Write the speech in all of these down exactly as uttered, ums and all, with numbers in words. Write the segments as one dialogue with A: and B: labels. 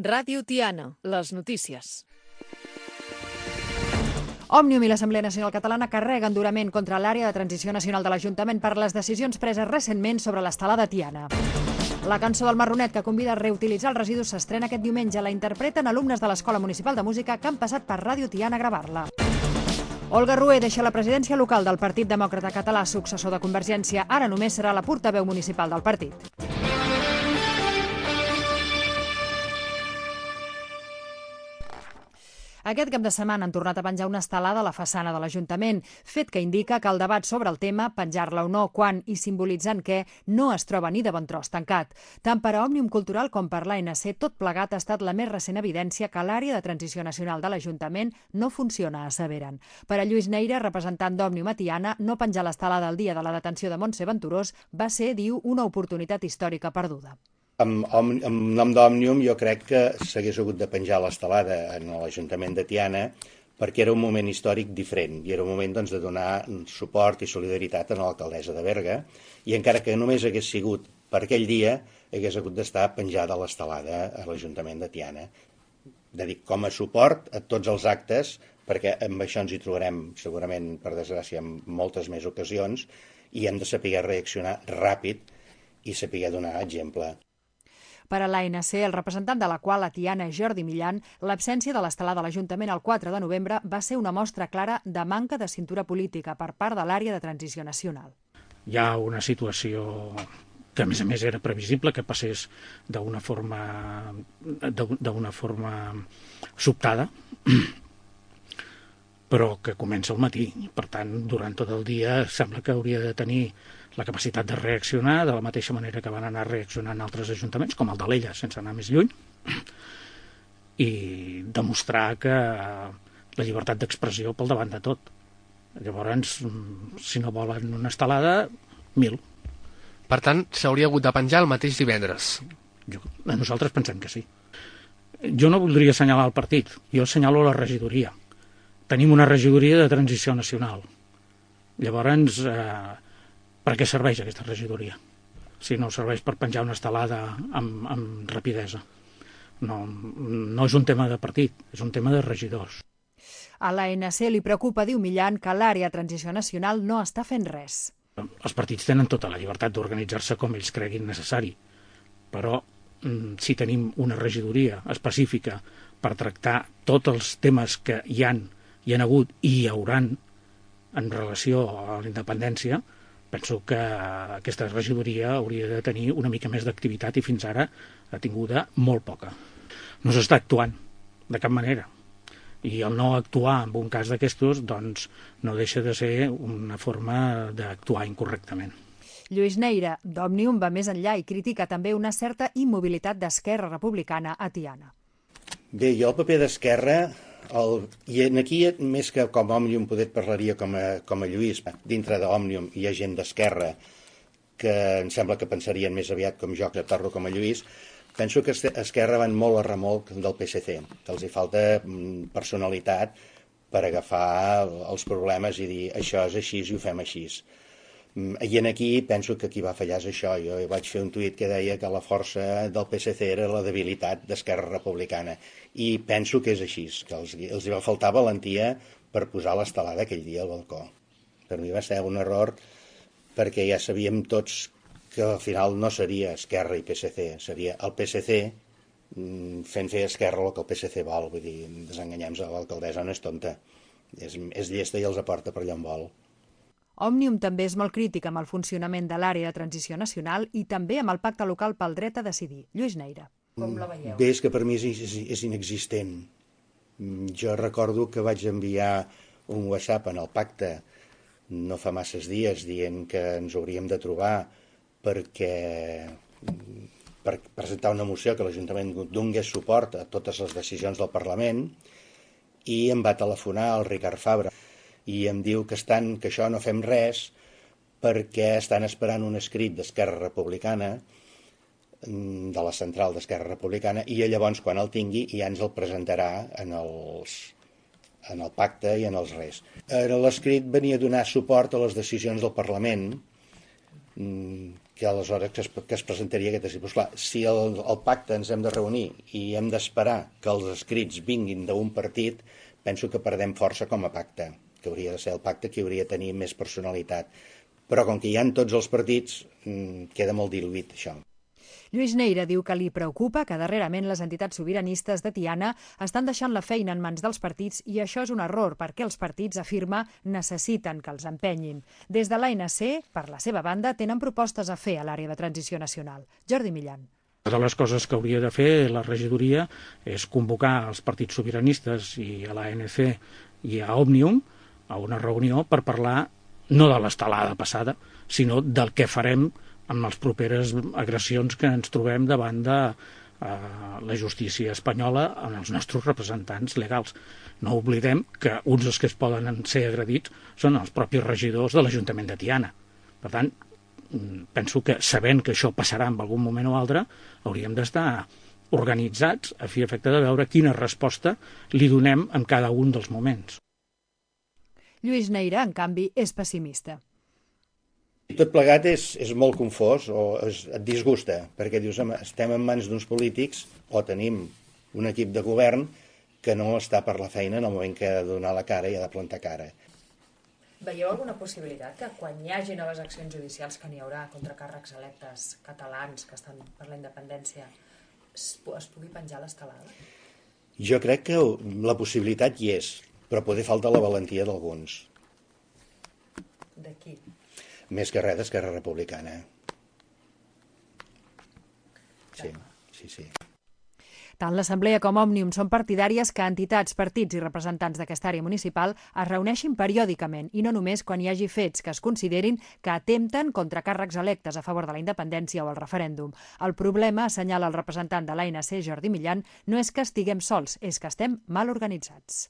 A: Ràdio Tiana, les notícies.
B: Òmnium i l'Assemblea Nacional Catalana carreguen durament contra l'àrea de transició nacional de l'Ajuntament per les decisions preses recentment sobre l'estelada Tiana. La cançó del Marronet, que convida a reutilitzar els residus, s'estrena aquest diumenge. La interpreten alumnes de l'Escola Municipal de Música que han passat per Ràdio Tiana a gravar-la. Olga Rué deixa la presidència local del Partit Demòcrata Català, successor de Convergència. Ara només serà la portaveu municipal del partit. Aquest cap de setmana han tornat a penjar una estelada a la façana de l'Ajuntament, fet que indica que el debat sobre el tema, penjar-la o no, quan i simbolitzant què, no es troba ni de bon tros tancat. Tant per a Òmnium Cultural com per l'A N C, tot plegat ha estat la més recent evidència que l'àrea de transició nacional de l'Ajuntament no funciona, asseveren. Per a Lluís Neira, representant d'Òmnium a Tiana, no penjar l'estelada el dia de la detenció de Montse Venturós va ser, diu, una oportunitat històrica perduda.
C: En nom d'Òmnium jo crec que s'hagués hagut de penjar l'estelada en l'Ajuntament de Tiana perquè era un moment històric diferent i era un moment doncs, de donar suport i solidaritat a l'alcaldessa de Berga i encara que només hagués sigut per aquell dia hagués hagut d'estar penjada l'estelada a l'Ajuntament de Tiana. De dir, com a suport a tots els actes, perquè amb això ens hi trobarem segurament, per desgràcia, en moltes més ocasions i hem de saber reaccionar ràpid i saber donar exemple.
B: Per a l'A N C, el representant de la qual, a Tiana, Jordi Millan, l'absència de l'estelada de l'Ajuntament el quatre de novembre va ser una mostra clara de manca de cintura política per part de l'àrea de transició nacional.
D: Hi ha una situació que, a més a més, era previsible que passés d'una forma, d'una forma sobtada, però que comença al matí. Per tant, durant tot el dia sembla que hauria de tenir la capacitat de reaccionar de la mateixa manera que van anar reaccionant altres ajuntaments, com el d'Alella, sense anar més lluny, i demostrar que la llibertat d'expressió pel davant de tot. Llavors, si no volen una estelada, mil.
E: Per tant, s'hauria hagut de penjar el mateix divendres.
D: Jo, nosaltres pensem que sí. Jo no voldria assenyalar el partit, jo assenyalo la regidoria. Tenim una regidoria de transició nacional. Llavors, eh, per què serveix aquesta regidoria? Si no serveix per penjar una estelada amb, amb rapidesa. No, no és un tema de partit, és un tema de regidors.
B: A l'A N C li preocupa, diu Millan, que l'àrea de transició nacional no està fent res.
D: Els partits tenen tota la llibertat d'organitzar-se com ells creguin necessari, però si tenim una regidoria específica per tractar tots els temes que hi han, hi han hagut i hi hauran en relació a la independència, penso que aquesta regidoria hauria de tenir una mica més d'activitat i fins ara ha tinguda molt poca. No s'està actuant de cap manera. I el no actuar en un cas d'aquestos doncs, no deixa de ser una forma d'actuar incorrectament.
B: Lluís Neira, d'Òmnium, va més enllà i critica també una certa immobilitat d'Esquerra Republicana a Tiana.
C: Bé, jo el paper d'Esquerra, el, i aquí més que com a Òmnium poder parlaria com a, com a Lluís, dintre d'Òmnium hi ha gent d'Esquerra que em sembla que pensarien més aviat com jo, que parlo com a Lluís. Penso que Esquerra van molt a remolc del P S C, que els hi falta personalitat per agafar els problemes i dir això és així i ho fem així. I en aquí penso que qui va fallar és això. Jo vaig fer un tuit que deia que la força del P S C era la debilitat d'Esquerra Republicana i penso que és així, que els, els hi va faltar valentia per posar l'estelada aquell dia al balcó. Per mi va ser un error perquè ja sabíem tots que al final no seria Esquerra i P S C, seria el P S C fent fer a Esquerra el que el P S C vol. Vull dir, desenganyem-nos, l'alcaldessa no és tonta, és, és llesta i els aporta per allà on vol.
B: Òmnium també és molt crític amb el funcionament de l'àrea de transició nacional i també amb el pacte local pel dret a decidir. Lluís Neira. Com la veieu?
C: Bé, és que per mi és, és, és inexistent. Jo recordo que vaig enviar un WhatsApp en el pacte no fa masses dies dient que ens hauríem de trobar perquè per presentar una moció que l'Ajuntament donés suport a totes les decisions del Parlament i em va telefonar el Ricard Fabra i em diu que, estan, que això no fem res perquè estan esperant un escrit d'Esquerra Republicana, de la central d'Esquerra Republicana, i llavors quan el tingui ja ens el presentarà en, els, en el pacte i en els res. L'escrit venia a donar suport a les decisions del Parlament que aleshores que es, que es presentaria aquest escrit. Pues clar, si el, el pacte ens hem de reunir i hem d'esperar que els escrits vinguin d'un partit, penso que perdem força com a pacte, que hauria de ser el pacte que hauria de tenir més personalitat. Però com que hi ha tots els partits, queda molt diluït això.
B: Lluís Neira diu que li preocupa que darrerament les entitats sobiranistes de Tiana estan deixant la feina en mans dels partits i això és un error perquè els partits, afirma, necessiten que els empenyin. Des de l'A N C, per la seva banda, tenen propostes a fer a l'àrea de transició nacional. Jordi Millan.
D: Una de les coses que hauria de fer la regidoria és convocar els partits sobiranistes i a l'A N C i a Òmnium a una reunió per parlar no de l'estelada passada, sinó del que farem amb les properes agressions que ens trobem davant de eh, la justícia espanyola amb els nostres representants legals. No oblidem que uns dels que es poden ser agredits són els propis regidors de l'Ajuntament de Tiana. Per tant, penso que sabent que això passarà en algun moment o altre, hauríem d'estar organitzats a fi i efecte de veure quina resposta li donem en cada un dels moments.
B: Lluís Neira, en canvi, és pessimista.
C: Tot plegat és, és molt confós o es, et disgusta, perquè dius, home, estem en mans d'uns polítics o tenim un equip de govern que no està per la feina en el moment que ha de donar la cara i ha de plantar cara.
F: Veieu alguna possibilitat que quan hi hagi noves accions judicials que n'hi haurà contra càrrecs electes catalans que estan per la independència es, es pugui penjar l'estelada?
C: Jo crec que la possibilitat hi és, però poder falta la valentia d'alguns.
F: De qui?
C: Més que res d'Esquerra Republicana. Sí, sí, sí.
B: Tant l'Assemblea com Òmnium són partidàries que entitats, partits i representants d'aquesta àrea municipal es reuneixin periòdicament i no només quan hi hagi fets que es considerin que atempten contra càrrecs electes a favor de la independència o el referèndum. El problema, assenyala el representant de l'A N C, Jordi Millan, no és que estiguem sols, és que estem mal organitzats.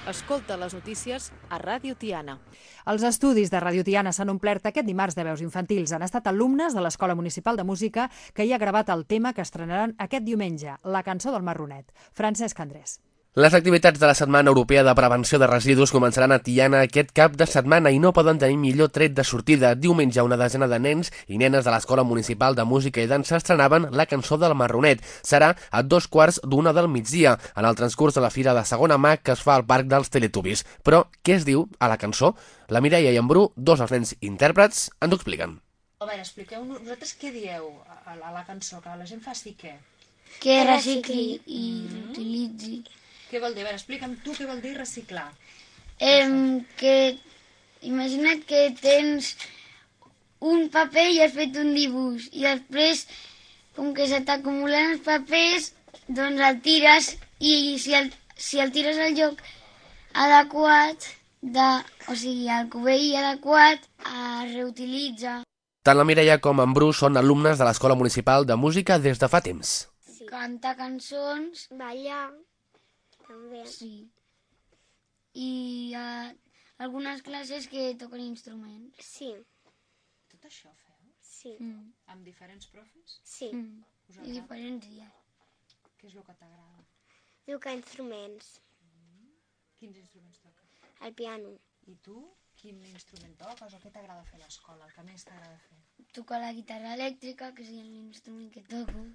A: Escolta les notícies a Ràdio Tiana.
B: Els estudis de Ràdio Tiana s'han omplert aquest dimarts de veus infantils. Han estat alumnes de l'Escola Municipal de Música que hi ha gravat el tema que estrenaran aquest diumenge, la cançó del Marronet. Francesc Andrés.
E: Les activitats de la Setmana Europea de Prevenció de Residus començaran a Tiana aquest cap de setmana i no poden tenir millor tret de sortida. Diumenge una desena de nens i nenes de l'Escola Municipal de Música i Dansa estrenaven la cançó del Marronet. Serà a dos quarts d'una del migdia, en el transcurs de la Fira de Segona Mà que es fa al Parc dels Teletubbies. Però què es diu a la cançó? La Mireia i en Bru, dos dels nens intèrprets, ens ho expliquen.
G: A veure, expliqueu-nos, vosaltres què dieu a la, a la cançó? Que la gent faci què?
H: Que recicli i utilitzi.
G: Què vol dir? A veure, explica'm tu què vol dir reciclar.
H: Eh, que imagina't que tens un paper i has fet un dibuix i després, com que se t'acumulen els papers, doncs el tires i si el, si el tires al lloc adequat, de, o sigui, al cubell adequat, es reutilitza.
E: Tant la Mireia com en Bru són alumnes de l'Escola Municipal de Música des de fa temps.
H: Sí. Cantar cançons.
I: Ballar. També.
H: Sí. I uh, algunes classes que toquen instruments.
I: Sí.
G: Tot això feu?
I: Sí.
H: Mm.
G: Amb diferents profes?
I: Sí.
H: Mm. I diferents dies.
G: Què és el que t'agrada?
I: Tocar instruments.
G: Mm. Quins instruments toques?
I: El piano.
G: I tu? Quin instrument toques o què t'agrada fer a l'escola? El que més t'agrada fer?
H: Tocar la guitarra elèctrica, que és l'instrument que toco.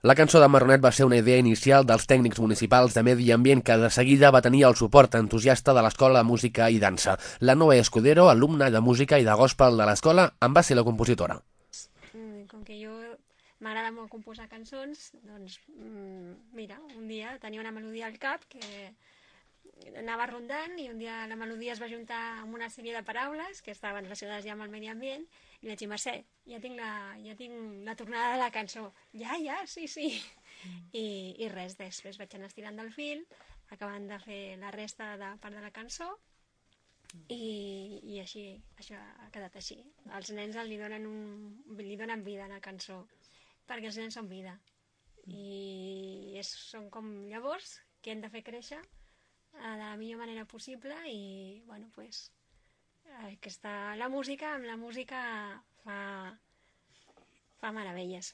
E: La cançó de Marronet va ser una idea inicial dels tècnics municipals de Medi Ambient que de seguida va tenir el suport entusiasta de l'Escola de Música i Dansa. La Noé Escudero, alumna de música i de gospel de l'escola, en va ser la compositora.
J: Com que jo m'agrada molt composar cançons, doncs mira, un dia tenia una melodia al cap que anava rondant i un dia la melodia es va juntar amb una sèrie de paraules que estaven relacionades ja amb el medi ambient i vaig dir, Mercè, ja tinc la, ja tinc la tornada de la cançó. Ja, ja, sí, sí. Mm. I, I res, després vaig anar estirant del fil, acabant de fer la resta de part de la cançó i, i així, això ha quedat així. Els nens li donen, un, li donen vida a la cançó, perquè els nens són vida. I és, són com llavors que hem de fer créixer de la millor manera possible i, bueno, pues, aquesta, la música, amb la música fa, fa meravelles.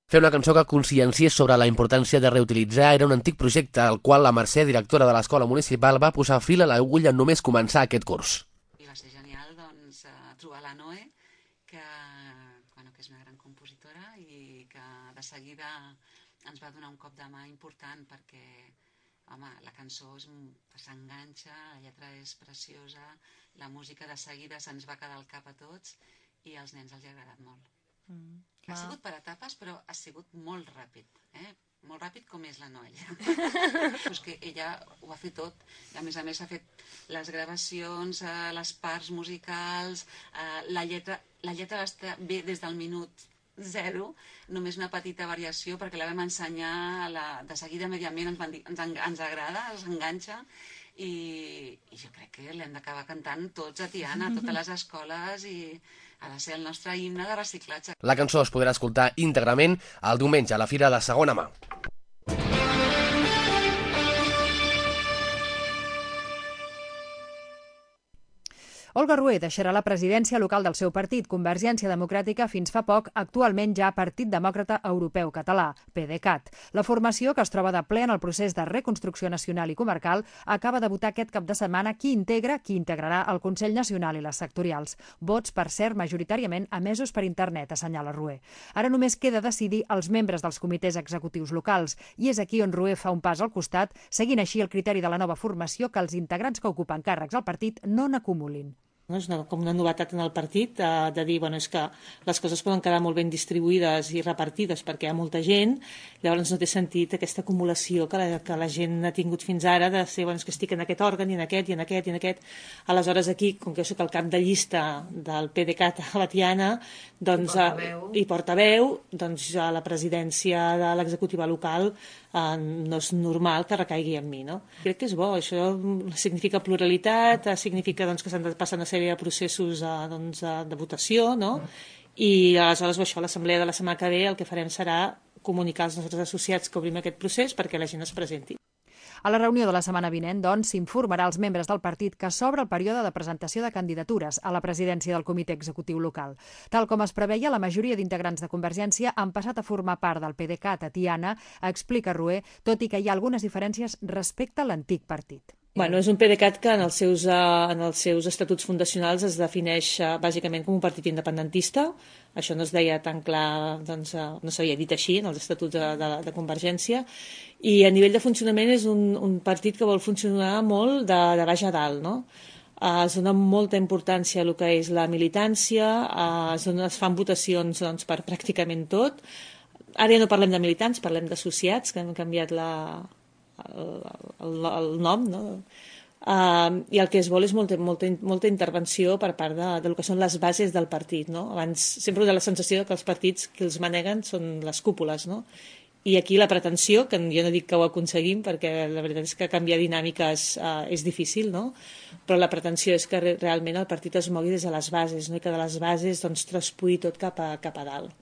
E: Fer una cançó que conscienciés sobre la importància de reutilitzar era un antic projecte al qual la Mercè, directora de l'escola municipal, va posar fil a l'agulla en només començar aquest curs.
K: I va ser genial doncs, trobar la Noe, que, bueno, que és una gran compositora i que de seguida ens va donar un cop de mà important perquè home, la cançó s'enganxa, la lletra és preciosa, la música de seguida se'ns va quedar al cap a tots i als nens els ha agradat molt. Mm. Ha sigut per etapes, però ha sigut molt ràpid, eh? Molt ràpid com és la Noelia. Pues que ella ho va fer tot, i a més a més ha fet les gravacions, eh, les parts musicals, eh, la lletra, la lletra va estar bé des del minut zero, només una petita variació perquè la vam ensenyar la, de seguida mediament ens, van dir, ens, ens agrada, ens enganxa i, i jo crec que l'hem d'acabar cantant tots a Tiana, a totes les escoles i ha de ser el nostre himne de reciclatge.
E: La cançó es podrà escoltar íntegrament el diumenge a la Fira de Segona Mà.
B: Olga Rué deixarà la presidència local del seu partit, Convergència Democràtica, fins fa poc, actualment ja Partit Demòcrata Europeu Català, PDeCAT. La formació, que es troba de ple en el procés de reconstrucció nacional i comarcal, acaba de votar aquest cap de setmana qui integra, qui integrarà el Consell Nacional i les sectorials. Vots, per cert, majoritàriament emesos per internet, assenyala Rué. Ara només queda decidir els membres dels comitès executius locals, i és aquí on Rué fa un pas al costat, seguint així el criteri de la nova formació que els integrants que ocupen càrrecs al partit no n'acumulin.
L: No? És una, com una novetat en el partit de, de dir bueno, és que les coses poden quedar molt ben distribuïdes i repartides perquè hi ha molta gent, llavors no té sentit aquesta acumulació que la, que la gent ha tingut fins ara de ser, bueno, és que estic en aquest òrgan i en aquest i en aquest i en aquest. Aleshores aquí, com que jo soc el cap de llista del PDeCAT a la Tiana, doncs, I portaveu, i portaveu doncs a la presidència de l'executiva local eh, no és normal que recaigui en mi. No? Crec que és bo, això significa pluralitat, significa doncs, que s'han de passar una sèrie de processos eh, doncs, de votació, no? I aleshores això, l'assemblea de la setmana que ve el que farem serà comunicar als nostres associats que obrim aquest procés perquè la gent es presenti.
B: A la reunió de la setmana vinent, doncs, s'informarà als membres del partit que s'obre el període de presentació de candidatures a la presidència del comitè executiu local. Tal com es preveia, la majoria d'integrants de Convergència han passat a formar part del PDeCAT a Tiana, explica Rué, tot i que hi ha algunes diferències respecte a l'antic partit.
L: Bueno, és un PDeCAT que en els seus, uh, en els seus estatuts fundacionals es defineix uh, bàsicament com un partit independentista. Això no es deia tan clar, doncs, uh, no s'havia dit així en els estatuts de, de, de Convergència. I a nivell de funcionament és un, un partit que vol funcionar molt de, de baix a dalt, no? Uh, es dona molta importància a el que és la militància, uh, es, dona, es fan votacions doncs, per pràcticament tot. Ara ja no parlem de militants, parlem d'associats, que han canviat la... El, el, el nom, no? Uh, i el que es vol és molta, molta, molta intervenció per part de, de lo que són les bases del partit, no? Abans sempre hi ha la sensació que els partits que els maneguen són les cúpules, no? I aquí la pretensió, que jo no dic que ho aconseguim perquè la veritat és que canviar dinàmiques uh, és difícil, no? Però la pretensió és que re, realment el partit es mogui des de les bases, no? I que de les bases doncs, traspui tot cap a, cap a dalt.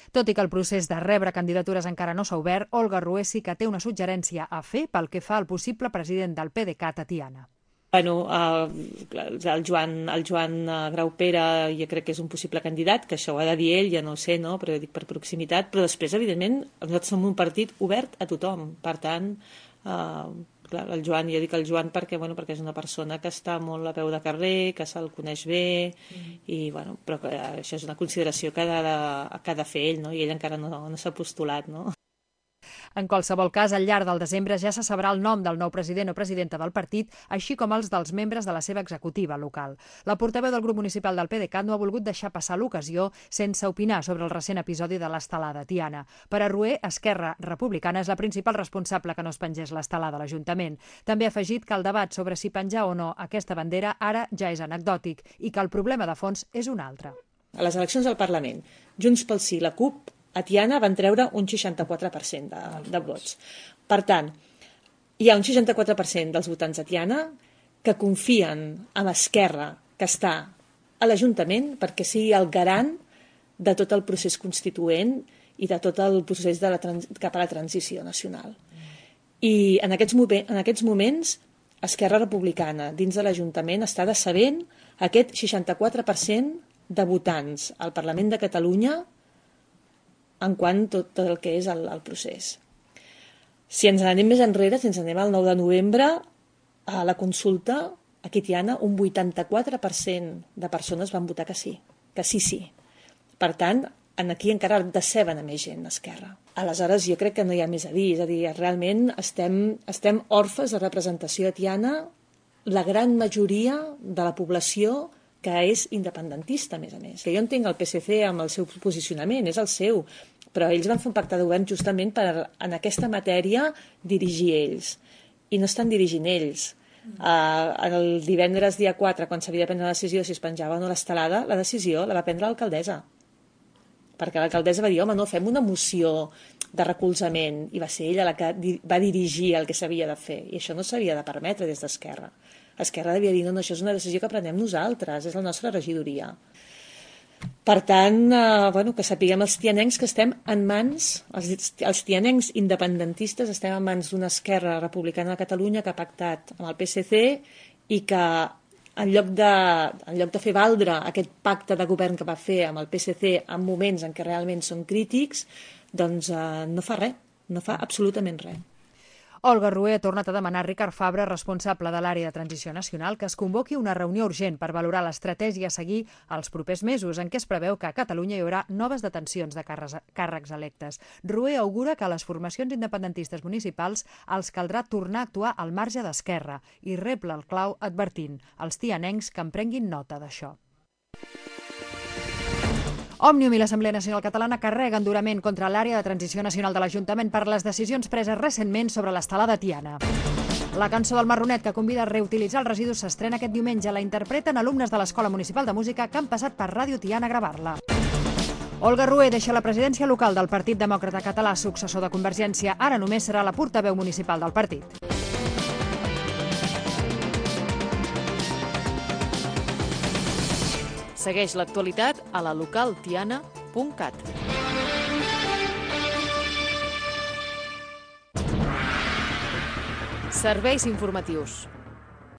B: Tot i que el procés de rebre candidatures encara no s'ha obert, Olga Rué sí que té una suggerència a fer pel que fa al possible president del PDeCAT a Tiana.
L: Bueno, uh, el Joan, el Joan Graupera jo crec que és un possible candidat, que això ho ha de dir ell, ja no ho sé, no? Però jo dic per proximitat, però després, evidentment, nosaltres som un partit obert a tothom, per tant... Uh, Clar, el Joan, jo dic el Joan perquè, bueno, perquè és una persona que està molt a peu de carrer, que se'l coneix bé, mm. i, bueno, però que això és una consideració que ha de, que ha de fer ell, no? I ell encara no, no s'ha postulat, no?
B: En qualsevol cas, al llarg del desembre ja se sabrà el nom del nou president o presidenta del partit, així com els dels membres de la seva executiva local. La portaveu del grup municipal del PDeCAT no ha volgut deixar passar l'ocasió sense opinar sobre el recent episodi de l'estelada a Tiana. Per a Rué, Esquerra Republicana és la principal responsable que no es pengés l'estelada a l'Ajuntament. També ha afegit que el debat sobre si penjar o no aquesta bandera ara ja és anecdòtic i que el problema de fons és un altre.
L: A les eleccions al Parlament, Junts pel Sí, la CUP, a Tiana van treure un seixanta-quatre per cent de, de vots. Per tant, hi ha un seixanta-quatre per cent dels votants a Tiana que confien en Esquerra, que està a l'Ajuntament, perquè sigui el garant de tot el procés constituent i de tot el procés de la trans- cap a la transició nacional. I en aquests, en aquests moments, Esquerra Republicana, dins de l'Ajuntament, està decebent aquest seixanta-quatre per cent de votants al Parlament de Catalunya en quant a tot el que és el, el procés. Si ens anem més enrere, si ens anem al nou de novembre, a la consulta, aquí, Tiana, un vuitanta-quatre per cent de persones van votar que sí, que sí, sí. Per tant, aquí encara deceben a més gent d'Esquerra. Aleshores, jo crec que no hi ha més a dir, és a dir, realment estem, estem orfes de representació a Tiana, la gran majoria de la població que és independentista, a més a més. Que jo entenc el P S C amb el seu posicionament, és el seu, però ells van fer un pacte de govern justament per, en aquesta matèria, dirigir ells. I no estan dirigint ells. Uh, el divendres dia quatre, quan s'havia de prendre la decisió si es penjava o no l'estelada, la decisió la va prendre l'alcaldessa. Perquè l'alcaldessa va dir, home, no, fem una moció de recolzament, i va ser ella la que va dirigir el que s'havia de fer, i això no s'havia de permetre des d'Esquerra. Esquerra devia dir, no, no, això és una decisió que prenem nosaltres, és la nostra regidoria. Per tant, eh, bueno, que sapiguem els tianencs que estem en mans, els, els tianencs independentistes estem en mans d'una Esquerra Republicana de Catalunya que ha pactat amb el P S C i que en lloc de, en lloc de fer valdre aquest pacte de govern que va fer amb el P S C en moments en què realment són crítics, doncs eh, no fa res, no fa absolutament res.
B: Olga Rué ha tornat a demanar a Ricard Fabra, responsable de l'àrea de transició nacional, que es convoqui una reunió urgent per valorar l'estratègia a seguir els propers mesos, en què es preveu que a Catalunya hi haurà noves detencions de càrrecs electes. Rué augura que a les formacions independentistes municipals els caldrà tornar a actuar al marge d'Esquerra i rebla el clau advertint als tianencs que en prenguin nota d'això. Òmnium i l'Assemblea Nacional Catalana carreguen durament contra l'àrea de transició nacional de l'Ajuntament per les decisions preses recentment sobre l'estelada Tiana. La cançó del Marronet, que convida a reutilitzar els residus, s'estrena aquest diumenge. La interpreten alumnes de l'Escola Municipal de Música que han passat per Ràdio Tiana a gravar-la. Olga Rué deixa la presidència local del Partit Demòcrata Català, successor de Convergència. Ara només serà la portaveu municipal del partit.
A: Segueix l'actualitat a la local tiana punt cat. Serveis informatius.